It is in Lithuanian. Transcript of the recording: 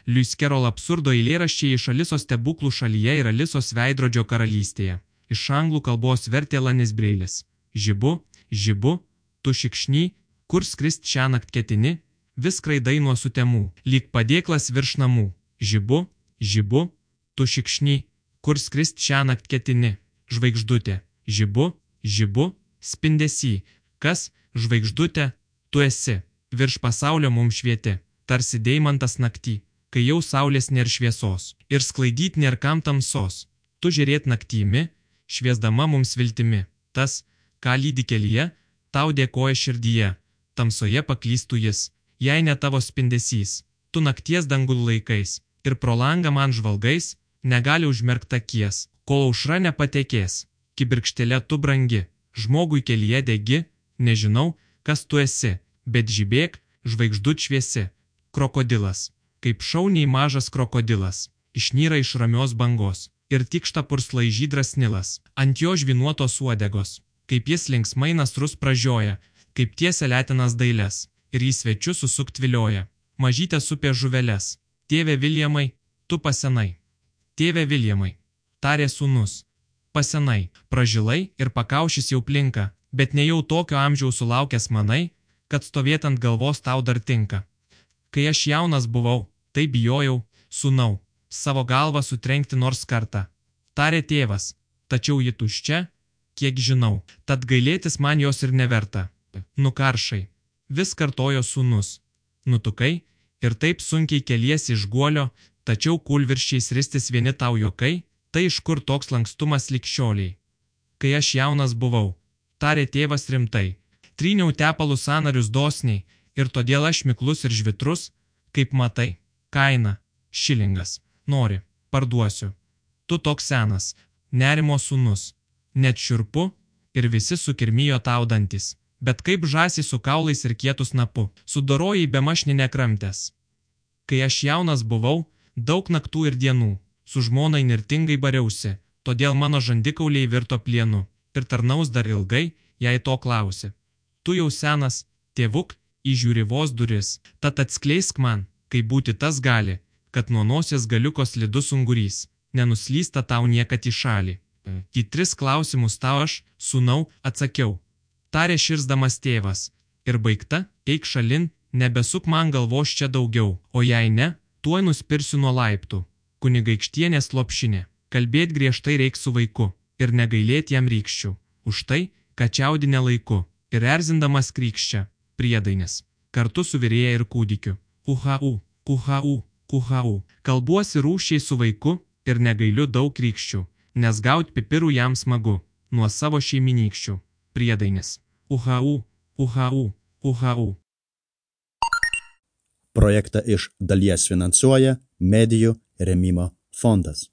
Lewis Carroll absurdo eilėraščiai iš Alisos stebuklų šalyje ir Alisos veidrodžio karalystėje. Iš anglų kalbos vertė Lanis Breilis. Žibu, žibu, tu šikšny, kur skrist šiąnakt ketini, vis skraidai nuo sutemų, lyg padėklas virš namų. Žibu, žibu, tu šikšny, kur skrist šiąnakt ketini, žvaigždutė. Žibu, žibu, spindesy, kas, žvaigždutė, tu esi, virš pasaulio mums švieti, tarsi deimantas naktį, kai jau saulės nėr šviesos, ir sklaidyt nėr kam tamsos, tu žiūrėt naktymi, šviesdama mums viltimi, tas, ką lydi kelyje, tau dėkoja širdyje, tamsoje paklystų jis, jei ne tavo spindesys, tu nakties dangul laikais, ir pro langą man žvalgais, negali užmerkt akies, kol aušra nepatekės, kibirkštėle tu brangi, žmogui kelyje degi, nežinau, kas tu esi, bet žibėk, žvaigždut šviesi, krokodilas, kaip šauniai mažas krokodilas, išnyra iš ramios bangos, ir tikšta purslai žydras Nilas, ant jo žvinuotos uodegos, kaip jis linksmai nasrus pražioja, kaip tiesia letinas dailės, ir į svečius susukt vilioja, mažytės upė žuveles, tėve Viljamai, tu pasenai. Tėve Viljamai, tarė sūnus, pasenai, pražilai ir pakaušis jau plinka, bet nejau tokio amžiaus sulaukęs manai, kad stovėt ant galvos tau dar tinka. Kai aš jaunas buvau, tai bijojau, sūnau, savo galvą sutrenkti nors kartą. Tarė tėvas, tačiau ji tuščia, kiek žinau, tad gailėtis man jos ir neverta. Nukaršai, vis kartojo sūnus, nutukai, ir taip sunkiai keliesi iš guolio, tačiau kūlvirščiais ristis vieni tau juokai, tai iš kur toks lankstumas likščioliai. Kai aš jaunas buvau, tarė tėvas rimtai, tryniau tepalų sąnarius dosniai, ir todėl aš miklus ir žvitrus, kaip matai, kaina, šilingas, nori, parduosiu. Tu toks senas, nerimo sūnus, net šiurpu, ir visi sukirmijo taudantis, bet kaip žąsį su kaulais ir kietu snapu, sudorojai bemašni nekramtęs. Kai aš jaunas buvau, daug naktų ir dienų, su žmona įnirtingai bariausi, todėl mano žandikauliai virto plienu, ir tarnaus dar ilgai, jei to klausi. Tu jau senas, tėvuk, įžiūri vos duris, tad atskleisk man, kaip būti tas gali, kad nuo nosies galiukos slidus ungurys, nenuslysta tau niekad į šalį. Į 3 klausimus tau aš, sūnau, atsakiau. Tarė širsdamas tėvas, ir baigta, eik šalin, nebesuk man galvos čia daugiau, o jei ne, tuoj nuspirsiu nuo laiptų. Kunigaikštienės lopšinė, kalbėt griežtai reiks su vaiku, ir negailėt jam rykščių, už tai, kad čiaudinė laiku, ir erzindamas krykščia, priedainis, kartu su virėja ir kūdikiu. Kuhau, kuhau, kuhau, kalbuosi rūšiai su vaiku, ir negailiu daug rykščių, nes gaut pipirų jam smagu, nuo savo šeiminykščių, priedainis. Kuhau, kuhau, kuhau. Projektą iš dalies finansuoja Medijų rėmimo fondas.